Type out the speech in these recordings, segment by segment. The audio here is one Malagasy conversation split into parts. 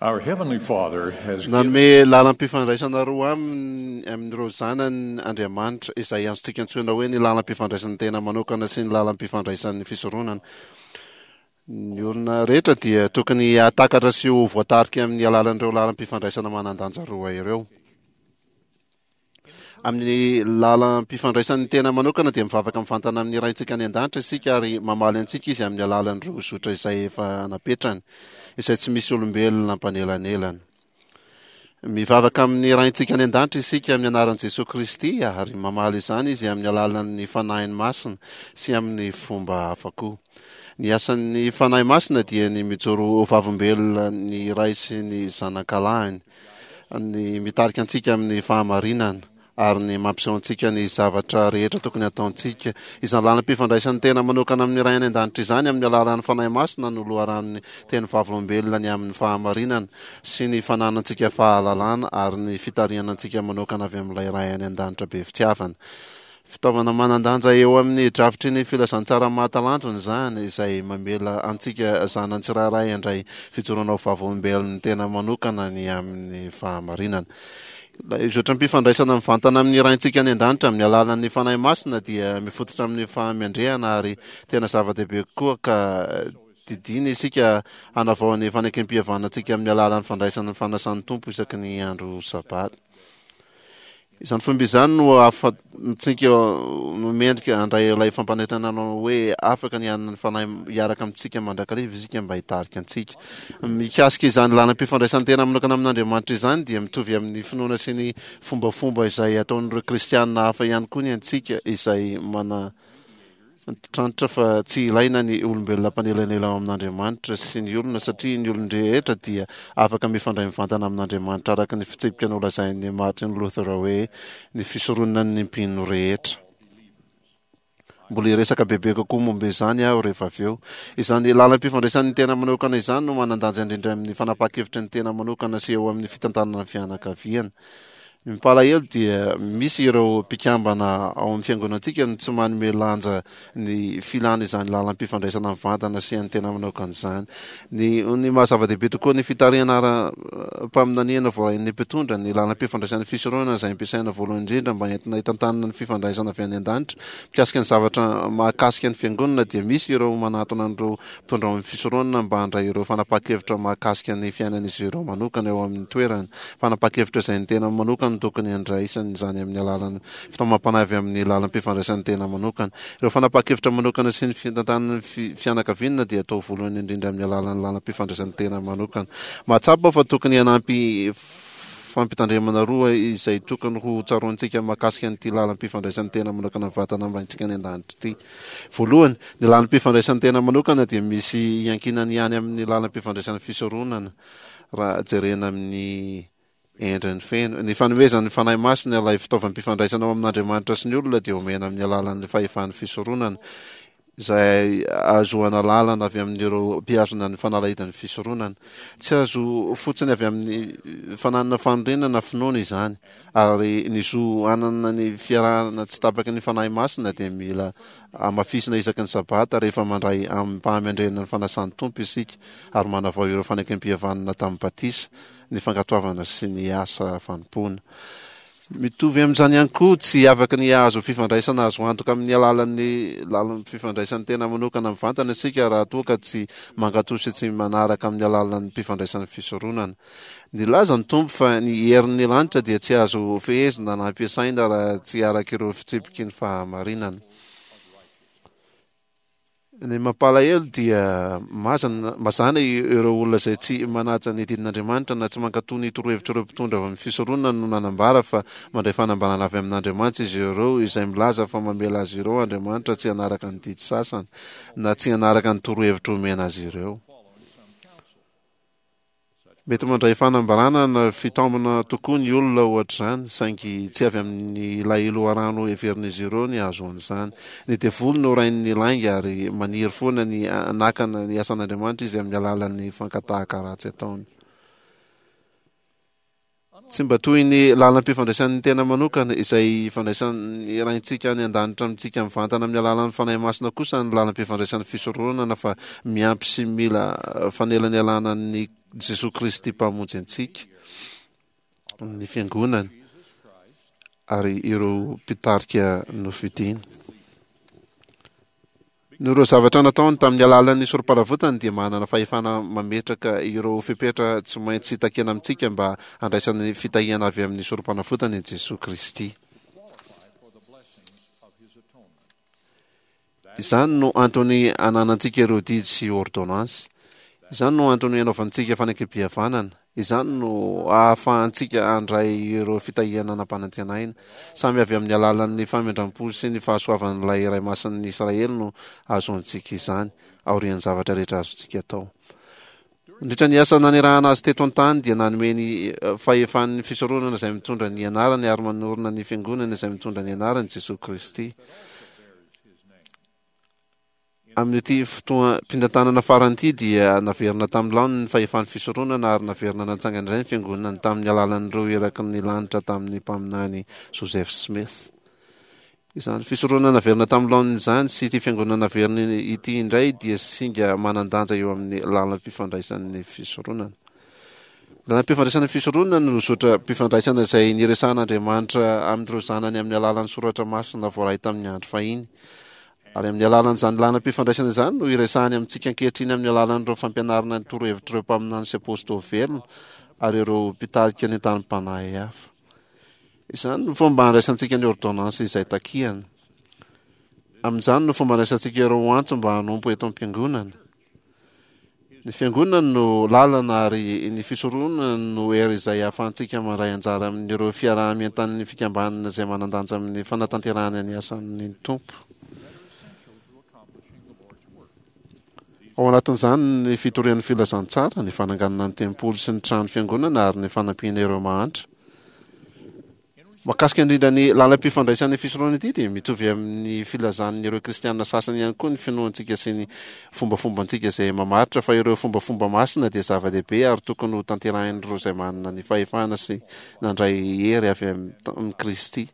Our Heavenly Father has given. Nanome lalam-pifandraisana roa aminy amin'ireo zanany Andriamanitra, izay azontsika antsoina hoe ny lalam-pifandraisan'ny tena manokana sy ny lalam-pifandraisan'ny fisoronana. Ny olona rehetra dia tokony hahatakatra sy ho voatarika amin'ny alalan'ireo lalam-pifandraisana manan-danja roa ireo. Amin'ny lalam-pifandraisan'ny tena manokana dia mivavaka mivantana amin'ny Raintsika any an-danitra isika ary mamaly antsika Izy amin'ny alalan'ireo zotra izay efa napetrany, izay tsy misy olombelona mpanelanelana. Mivavaka amin'ny Raintsika any an-danitra isika amin'ny anaran'i Jesoa Kristy ary mamaly izany Izy amin'ny alalan'ny Fanahiny Masina sy amin'ny fomba hafa koa. Ny asan'ny Fanahy Masina dia ny mijoro ho vavolombelona ny Ray sy ny Zanakalahiny. ny mitarika antsika amin'ny fahamarinana ary ny mampiseho antsika ny zavatra rehetra tokony hataontsika. Izany lalam-pifandraisan'ny tena manokana amin'ny Ray any An-danitra izany amin'ny alalan'ny Fanahy Masina no loharanon'ny teny vavolombelona ny amin'ny fahamarinana sy ny fananantsika fahalalana ary ny fitarihana antsika manokana avy amin'ilay Ray any An-danitra be fitiavana. Fitaovana manan-danja eo amin'ny drafitry ny filazantsara mahatalanjona izany, izay mamela antsika zanany tsirairay handray fijoroana ho vavolombelon'ny tena manokana ny amin'ny fahamarinana. Ilay zotram-pifandraisana mivantana amin'ny Raintsika any An-danitra amin'ny alalan'ny Fanahy Masina dia mifototra amin'ny fahamendrehana ary tena zava-dehibe kokoa ka didiana isika hanavao ny fanekempihavanantsika amin'ny alalan'ny fandraisana ny fanasan'ny Tompo isaky ny andro Sabata. Izany fomba izany no ahafahantsika no mendrika handray ilay fampanantenana hoe afaka ny hanana ny Fanahy hiaraka amintsika mandrakariva isika mba hitarika antsika. Mikasika izany lalam-pifandraisan-tena manokana amin'Andriamanitra izany dia mitovy amin'ny finoana sy ny fombafomba izay ataon'ireo kristiana hafa ihany koa ny antsika izay mana Antitrantitra fa tsy ilaina ny olombelona mpanelanela ao amin'Andriamanitra sy ny olona satria ny olon-drehetra dia afaka mifandray mivantana amin'Andriamanitra araka ny fitsipika nolazain'i Martin Luther hoe ny fisoronan'ny mpino rehetra. Mbola hiresaka bebe kokoa momba izany aho rehefa avy eo. Izany lalam-pifandraisan'ny tena manokana izany no manan-danja indrindra amin'ny fanapahan-kevitry ny tena manokana sy eo amin'ny fitantanana ny fianakaviana. Ny mampalahelo dia misy ireo mpikambana ao amin'ny fiangonantsika no tsy manome lanja ny filana izany lalam-pifandraisana mivantana sy an'ny tena manokana izany. Ny ny maha zava-dehibe tokoa ny fitarihana ara-paminaniana voarain'ny mpitondra, ny lalam-pifandraisan'ny fisoronana izay ampiasaina voalohany indrindra mba entina hitantanana ny fifandraisana avy any an-danitra mikasika ny zavatra mahakasika ny fiangonana dia misy ireo manatona an'ireo mpitondra ao amin'ny fisoronana mba handray ireo fanapahan-kevitra mahakasika ny fiainan'izy ireo manokana eo amin'ny toerany. Fanapahan-kevitra izay ny tena manokana no tokony handraisany izany amin'ny alalan'ny fitaomam-panahy avy amin'ny lalam-pifandraisan'ny tena manokana. Ireo fanapahan-kevitra manokana sy ny fitantanan'ny fianakaviana dia atao voalohany indrindra amin'ny alalan'ny lalam-pifandraisan'ny tena manokana. Mahatsapa aho fa tokony hanampy fampitandremana roa izay tokony ho tsaroantsika mahakasika an'ity lalam-pifandraisan'ny tena manokana mivantana amin'ny Raintsika any An-danitra ity. Voalohany, ny lalam-pifandraisan'ny tena manokana dia misy iankinany ihany amin'ny lalam-pifandraisan'ny fisoronana. raha jerena amin'ny endriny feno. Ny fanomezan'ny Fanahy Masina ilay fitaovam-pifandraisana ao amin'Andriamanitra sy ny olona dia omena amin'ny alalan'ny fahefan'ny fisoronana, izay ahazoana lalana avy amin'ireo mpihazona ny fanalahidin'ny fisoronana. Tsy azo fotsiny avy amin'ny fananana fanorenana na finoana izany, ary ny zo hanana ny fiarahana tsy tapaky ny Fanahy Masina dia mila Hamafisina isaky ny Sabata rehefa mandray amim-pahamendrehana ny fanasan'ny Tompo isika ary manavao ireo fanekempihavanana tamin'ny batisa, ny fankatoavana sy ny asa fanompoana. Mitovy amin'izany ihany koa, tsy afaka ny hahazo fifandraisana azo antoka amin'ny alalan'ny lalan'ny fifandraisan'ny tena manokana mivantana isika raha toa ka tsy mankatò sy tsy manaraka amin'ny alalan'ny mpifandraisan'ny fisoronana. Nilaza ny Tompo fa ny herin'ny lanitra dia tsy azo fehezina na ampiasaina raha tsy araka ireo fitsipiky ny fahamarinana. Ny mampalahelo dia mazana, mazàna ireo olona izay tsy manaja ny didin'Andriamanitra na tsy mankatò ny torohevitr'ireo mpitondra avy amin'ny fisoronana no nanambara fa mandray fanambarana avy amin'Andriamanitra izy ireo izay milaza fa mamela azy ireo Andriamanitra tsy hanaraka ny didy sasany na tsy hanaraka ny torohevitra omena azy ireo. Mety mandray fanambarana na fitaomana tokoa ny olona ohatr'izany, saingy tsy avy amin'ilay loharano heverin'izy ireo ny hahazoany izany. Ny devoly no rain'ny lainga ary maniry foana ny hanakana ny asan'Andriamanitra izy amin'ny alalan'ny fankatahaka ratsy ataony. Tsy mba toy ny lalam-pifandraisan'ny tena manokana, izay ifandraisan'ny Raintsika any an-danitra amintsika mivantana amin'ny alalan'ny Fanahy Masina kosa ny lalam-pifandraisan'ny fisoronana fa miampy sy mila fanelanelana ny. Jesoa Kristy Mpamonjy antsika, ny Fiangonany ary ireo mpitarika nofidiny. Noho ireo zavatra nataony tamin'ny alalan'ny sorom-panavotany dia manana fahefana mametraka ireo fepetra tsy maintsy takiana amintsika mba handraisana ny fitahiana avy amin'ny sorom-panavotany i Jesoa Kristy. Izany no antony ananantsika ireo didy sy ôrdônansy. Izany no antony anaovantsika fanekempihavanana. Izany no ahafahantsika handray ireo fitahiana nampanantenaina. Samy avy amin'ny alalan'ny famindram-po sy ny fahasoavan'ilay Iray Masin'ny Israely no ahazoantsika izany, aorian'ny zavatra rehetra azontsika atao. Nandritra ny asa nanirahana azy teto an-tany dia nanome ny fahefan'ny fisoronana izay mitondra ny anarany ary manorina ny fiangonana izay mitondra ny anarany Jesoa Kristy. Amin'ity fotoam-pitantanana farany ity dia naverina tamin'ny laoniny ny fahefan'ny fisoronana ary naverina natsangana indray ny fiangonana tamin'ny alalan'ireo iraky ny lanitra tamin'ny mpaminany Joseph Smith. Izany fisoronana naverina tamin'ny laoniny izany sy ity fiangonana naverina ity indray dia singa manan-danja eo amin'ny lalam-pifandraisan'ny fisoronana. Lalam-pifandraisana fisoronana no zotram-pifandraisana izay niresahan'Andriamanitra amin'ireo zanany amin'ny alalan'ny soratra masina voaray tamin'ny andro fahiny. Ary amin'ny alalan'izany lalam-pifandraisana izany no iresahany amintsika ankehitriny amin'ny alalan'ireo fampianarana ny torohevitr'ireo mpaminany sy apôstôly velona ary ireo mpitarika nentanim-panahy hafa. Izany no fomba handraisantsika ny ôrdônansy izay takiany. Amin'izany no fomba handraisantsika ireo antso mba hanompo eto am-piangonana. Ny Fiangonana no lalana ary ny fisoronana no hery izay ahafahantsika mandray anjara amin'ireo fiaraha-mientan'ny fikambanana izay manan-danja amin'ny fanatanterahana ny asan'ny Tompo. Ao anatin'izany ny fitorian'ny filazantsara, ny fananganana ny tempoly sy ny trano fiangonana ary ny fanampiana ireo mahantra. Mahakasika indrindra ny lalam-pifandraisan'ny fisoronana ity dia mitovy amin'ny filazan'ireo kristiana sasany ihany koa ny finoantsika sy ny fombafombantsika izay mamaritra fa ireo fombafomba masina dia zava-dehibe ary tokony ho tanterahin'ireo izay manana ny fahefana sy nandray hery avy amin'i Kristy.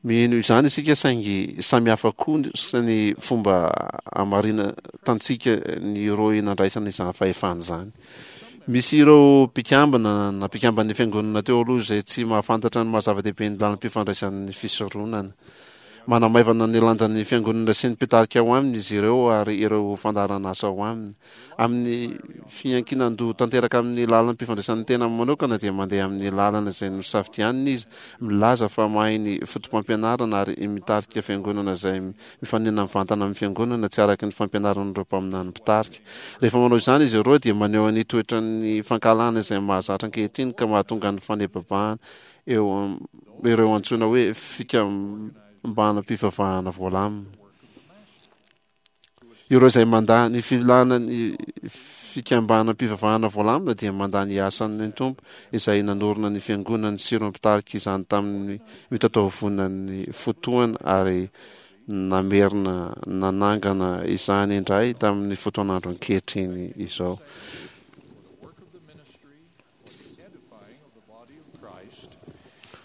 Mino izany isika saingy samy hafa kosa ny fomba hamaritantsika ny rohy nandraisana izany fahefana izany. Misy ireo mpikambana na mpikamban'ny fiangonana teo aloha izay tsy mahafantatra ny maha zava-dehibe ny lalam-pifandraisan'ny fisoronana. Manamaivana ny lanjan'ny fiangonana sy ny mpitarika ao aminy izy ireo ary ireo fandaharan'asa ao aminy. Amin'ny fiankinan-doha tanteraka amin'ny lalam-pifandraisan'ny tena manokana dia mandeha amin'ny lalana izay nosafidianiny izy, milaza fa mahay ny fotopampianarana ary mitarika fiangonana izay mifanena mivantana amin'ny fiangonana tsy araka ny fampianaran'ireo mpaminany mpitarika. Rehefa manao izany izy ireo dia maneho ny toetran'ny fankahalana izay mahazatra ankehitriny ka mahatonga ny fanebabahana eo ireo antsoina hoe fikambanam-pivavahana voalamina. Ireo izay mandà ny filàna ny fikambanam-pivavahana voalamina dia mandà ny asan'ny Tompo izay nanorina ny Fiangonany sy ireo mpitarika izany tamin'ny mitataovonan'ny fotoana ary namerina nanangana izany indray tamin'ny fotoan'andro ankehitriny izao.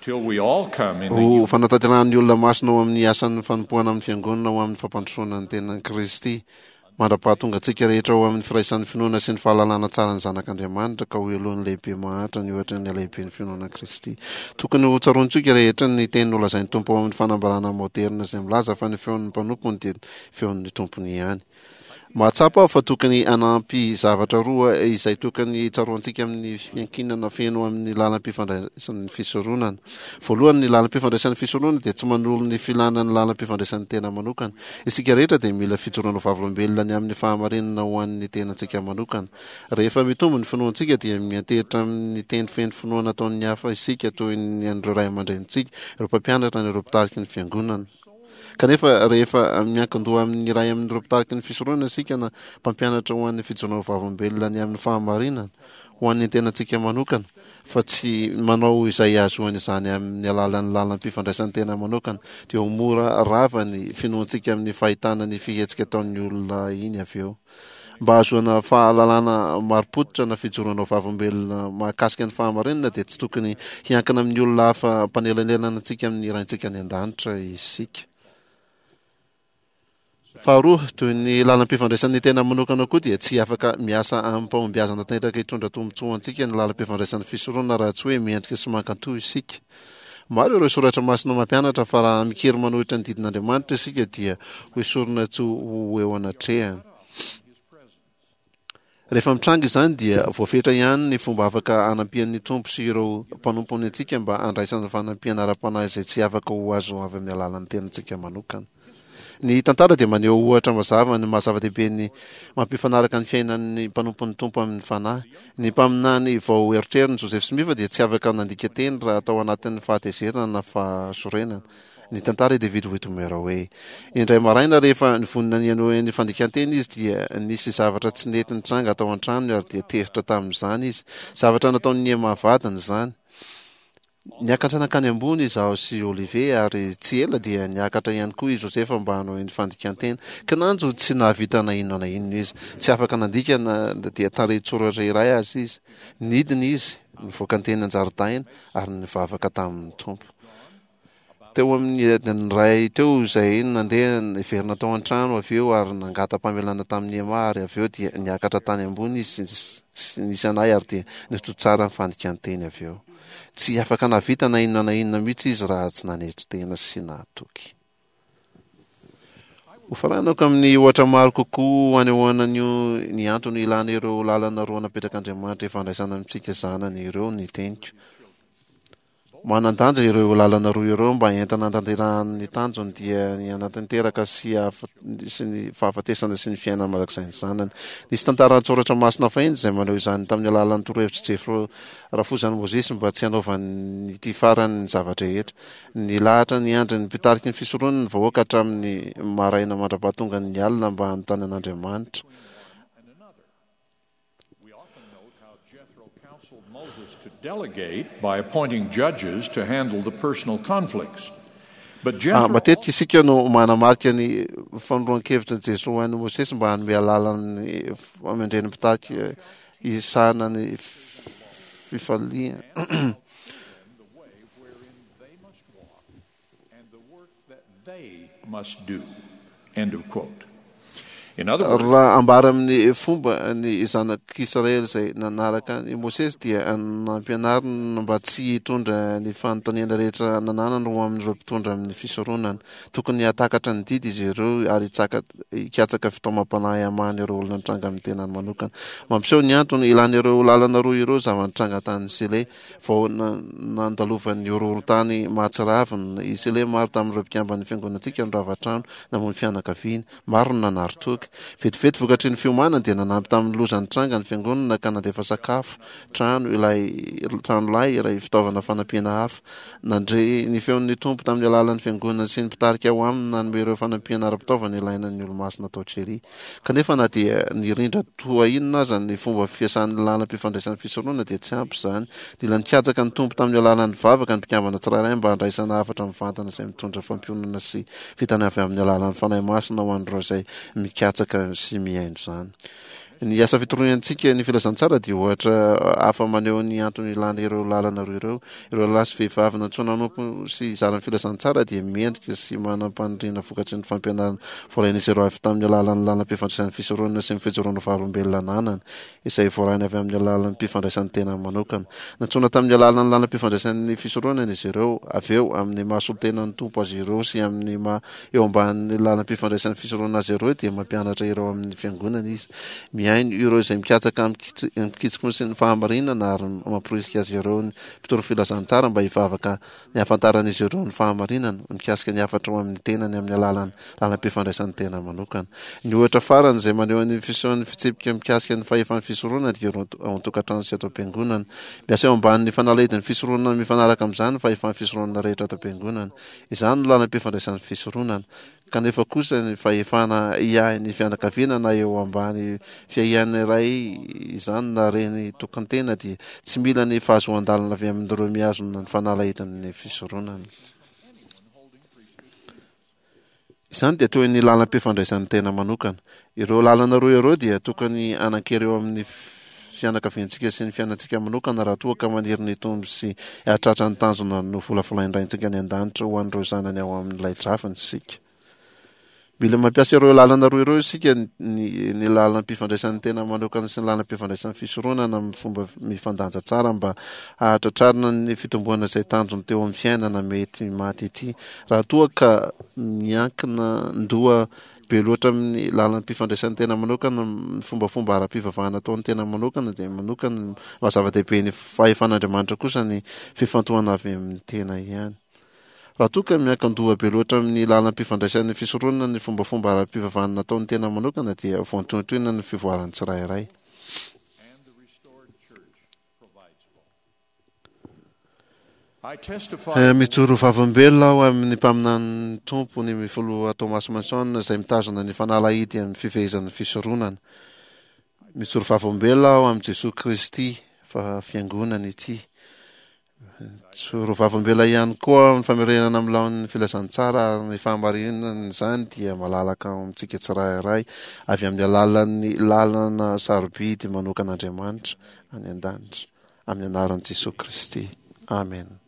Ho fanatanterahan'ny olona masina ao amin'ny asan'ny fanompoana amin'ny Fiangonana ho amin'ny fampandrosoana ny tenan'i Kristy, mandra-pahatonga antsika rehetra ho amin'ny firaisan'ny finoana sy ny fahalalana tsara ny Zanak'Andriamanitra, ka ho helohin'ny lehibe mahantra ny ohatry ny halehiben'ny finoana an'i Kristy. Tokony ho tsaroantsika rehetra ny teny nolazain'ny Tompo ao amin'ny fanambarana maoderina izay milaza fa ny feon'ny mpanompony dia feon'ny tompony ihany. Mahatsapa aho fa tokony hanampy zavatra roa izay tokony tsaroantsika amin'ny fiankinana feno amin'ny lalam-pifandraisan'ny fisoronana. Voalohany, ny lalam-pifandraisan'ny fisoronana dia tsy manolo ny filana ny lalam-pifandraisan'ny tena manokana. Isika rehetra dia mila fijoroana vavolombelona ny amin'ny fahamarinana ho an'ny tenantsika manokana. Rehefa mitombo ny finoantsika dia miantehitra amin'ny teny feno finoana ataon'ny hafa isika toy ny an'ireo ray aman-drenintsika, ireo mpampianatra na ireo mpitariky ny fiangonana. Kanefa, rehefa miankin-doha amin'ny iray amin'ireo mpitariky ny fisoronana isika na mpampianatra ho an'ny fijoroana ho vavolombelona ny amin'ny fahamarinana ho an'ny tenantsika manokana, fa tsy manao izay hahazoana izany amin'ny alalan'ny lalam-pifandraisan'ny tena manokana, dia ho mora rava ny finoantsika amin'ny fahitana ny fihetsika ataon'ny olona iny avy eo. Mba hahazoana fahalalana marim-pototra na fijoroana ho vavolombelona mahakasika ny fahamarinana dia tsy tokony hiankina amin'ny olona hafa mpanelanelana antsika amin'ny Raintsika any An-danitra isika. Faharoa, toy ny lalam-pifandraisan'ny tena manokana koa dia tsy afaka miasa amim-pahombiazana tanteraka hitondra tombontsoa ho antsika ny lalam-pifandraisan'ny fisoronana raha tsy hoe mendrika sy mankatò isika. Maro ireo soratra masina mampianatra fa raha mikiry manohitra ny didin'Andriamanitra isika dia hoesorina tsy ho eo anatrehany. Rehefa mitranga izany dia voafetra ihany ny fomba afaka hanampian'ny Tompo sy ireo mpanompony antsika mba handraisana fanampiana ara-panahy izay tsy afaka ho azo avy amin'ny alalan'ny tenantsika manokana. Ny tantara dia maneho ohatra mazava ny maha zava-dehibe ny mampifanaraka ny fiainan'ny mpanompon'ny Tompo amin'ny fanahy. Ny mpaminany vao erotrerony Joseph Smith dia tsy afaka nandika teny raha tao anatin'ny fahatezerana na fahasorenana. Nitantara i David Whitmer hoe, Indray maraina rehefa nivonona ny hanohy ny fandikan-teny izy dia nisy zavatra tsy nety nitranga tao an-tranony ary dia tezitra tamin'izany izy. Zavatra nataon'i Emma vadiny izany. Niakatra nankany ambony izaho sy Oliver ary tsy ela dia niakatra ihany koa i Joseph mba hanohy ny fandikan-teny. Kinanjo tsy nahavita na inona na inona izy. Tsy afaka nandika na dia tarehin-tsoratra iray aza izy. Nidina izy, nivoaka teny an-jaridaina ary nivavaka tamin'ny Tompo. Teo amin'ny adiny iray teo izay no nandeha niverina tao an-trano avy eo ary nangata-pamelana tamin'i Emma ary avy eo dia niakatra tany ambony izy sy nisy anay ary dia nitohy tsara ny fandikan-teny avy eo. Tsy afaka nahavita na inona na inona mihitsy izy raha tsy nanetry tena sy nahatoky. Hofaranako amin'ny ohatra maro kokoa hanehoana ny ny antony ilana ireo lalana roa napetrak'Andriamanitra ifandraisana amintsika zanany ireo ny teniko. Manan-danja ireo lalana roa ireo mba entina hanatanterahany ny tanjony dia ny hanatanteraka sy sy ny fahafatesana sy ny fiainana mandrakizay ny zanany. Nisy tantara an-tsoratra masina fahiny izay maneho izany tamin'ny alalan'ny torohevitr'i Jefro rafozan'i Mosesy mba tsy hanaovan'ity farany ny zava-drehetra. Nilahatra niandry ny mpitariky ny fisoronana ny vahoaka hatramin'ny maraina mandra-pahatongan'ny alina mba hanontany an'Andriamanitra. We often note how Jethro counseled Moses to delegate by appointing judges to handle the personal conflicts. But Ah, Jethro matetika isika no manamarika ny fanoroan-kevitra ny Jesoa ho an'i Mosesy mba hanome alalana ny famendren'ny mpitarika hisahana ny fifaliana. Raha ambara amin'ny fomba ny zanak'Israely izay nanaraka an'i Mosesy dia nampianarina mba tsy hitondra ny fanontaniana rehetra nananany ho amin'ireo mpitondra amin'ny fisoronana. Tokony hahatakatra ny didy izy ireo ary hikatsaka fitaomam-panahy hamahana ireo olona nitranga amin'ny tenany manokana. Mampiseho ny antony ilana ireo lalana roa ireo zava-nitranga tany Sile. Vao nandalovan'ny horohorontany mahatsiravina i Sile, maro tamin'ireo mpikamban'ny fiangonantsika no rava trano, namoy ny fianakaviany. Maro no nanary toky. Vetivety vokatry ny fiomanany dia nanampy tamin'ny loza nitranga ny fiangonana ka nandefa sakafo, trano, ilay tranolay, iray fitaovana fanampiana hafa. Nandre ny feon'ny Tompo tamin'ny alalan'ny fiangonana sy ny mpitarika ao aminy nanome ireo fanampiana ara-pitaovana ilaina ny Olomasina tao Cheri. Kanefa na dia nirindra toa inona aza ny fomba fiasan'ny lalam-pifandraisan'ny fisoronana dia tsy ampy izany. Nila nikatsaka ny Tompo tamin'ny alalan'ny vavaka ny mpikambana tsirairay mba handraisana hafatra mivantana izay mitondra fampiononana sy fitana avy amin'ny alalan'ny Fanahy Masina ho an'ireo izay mikatsaka sy mihaino izany. Ny asa fitoriantsika ny filazantsara dia ohatra hafa maneho ny antony ilana ireo lalana roa ireo. Ireo lahy sy vehivavy nantsoina hanompo sy hizara ny filazantsara dia mendrika sy manam-paniriana vokatry ny fampianarana voarain'izy ireo avy tamin'ny alalan'ny lalam-pifandraisan'ny fisoronana sy ny fijoroana vavolombelona ananany, izay voarainy avy amin'ny alalan'ny fifandraisan'ny tenany manokana. Nantsoina tamin'ny alalan'ny lalam-pifandraisan'ny fisoronana izy ireo, avy eo, amin'ny maha solontenan'ny Tompo azy ireo sy amin'ny maha Eo ambanin'ny lalam-pifandraisan'ny fisoronana azy ireo dia mampianatra ireo amin'ny fiangonana izy. Mihaino ireo izay mikatsaka amin-kitsim-po sy ny fahamarinana ary mamporisika azy ireo ny mpitory filazantsara mba hivavaka ny hahafantaran'izy ireo ny fahamarinana mikasika ny hafatra ho amin'ny tenany amin'ny alalan'ny lalam-pifandraisan'ny tena manokana. Ny ohatra farany izay maneho ny fisehoan'ny fitsipika mikasika ny fahefan'ny fisoronana dia ireo ao an-tokantrano sy ato am-piangonana. Miasa eo ambanin'ny fanalahidin'ny fisoronana mifanaraka amin'izany ny fahefan'ny fisoronana rehetra ato am-piangonana. Izany no lalam-pifandraisan'ny fisoronana. Kanefa kosa ny fahefana hiahy ny fianakaviana na eo ambany fiahian'ny ray izany na reny tokan-tena dia tsy mila ny fahazoan-dalana avy amin'ireo mihazona ny fanalahidin'ny fisoronana. Izany dia toy ny lalam-pifandraisan'ny tena manokana. Ireo lalana roa ireo dia tokony hanan-kery eo amin'ny fianakaviantsika sy ny fiainantsika manokana raha toa ka maniry ny hitombo sy hahatratra ny tanjona novolavolain-dRaintsika any An-danitra ho an'ireo zanany ao amin'ilay drafiny isika. Mila mampiasa ireo lalana roa ireo isika, ny ny lalam-pifandraisan'ny tena manokana sy ny lalam-pifandraisan'ny fisoronana amin'ny fomba mifandanja tsara mba hahatratrarana ny fitomboana izay tanjony teo amin'ny fiainana mety maty ity. Raha toa ka miankina ndoha be loatra amin'ny lalam-pifandraisan'ny tena manokana ny fombafomba ara-pivavahana ataon'ny tena manokana dia manokana maha zava-dehibe ny fahefan'Andriamanitra kosa ny fifantohana avy amin'ny tena ihany. Raha toa ka miankin-doha be loatra amin'ny lalam-pifandraisan'ny fisoronana ny fombafomba ara-pivavahana nataon'ny tena manokana dia voantohintohina ny fivoaran'ny tsirairay. Mijoro vavolombelona aho amin'ny mpaminanin'ny Tompo, ny Filoha Thomas Monson, izay mitazona ny fanalahidy amin'ny fifehezan'ny fisoronana. Mijoro vavolombelona aho amin'i Jesoa Kristy fa Fiangonany ity. Mijoro vavolombelona ihany koa amin'ny famerenana amin'ny laoniny ny filazantsara ary ny fahamarinan'izany dia malalaka ao amintsika tsirairay avy amin'ny alalan'ny lalana sarobidy manokan'Andriamanitra any an-danitra. Amin'ny anaran'i Jesoa Kristy. Amena.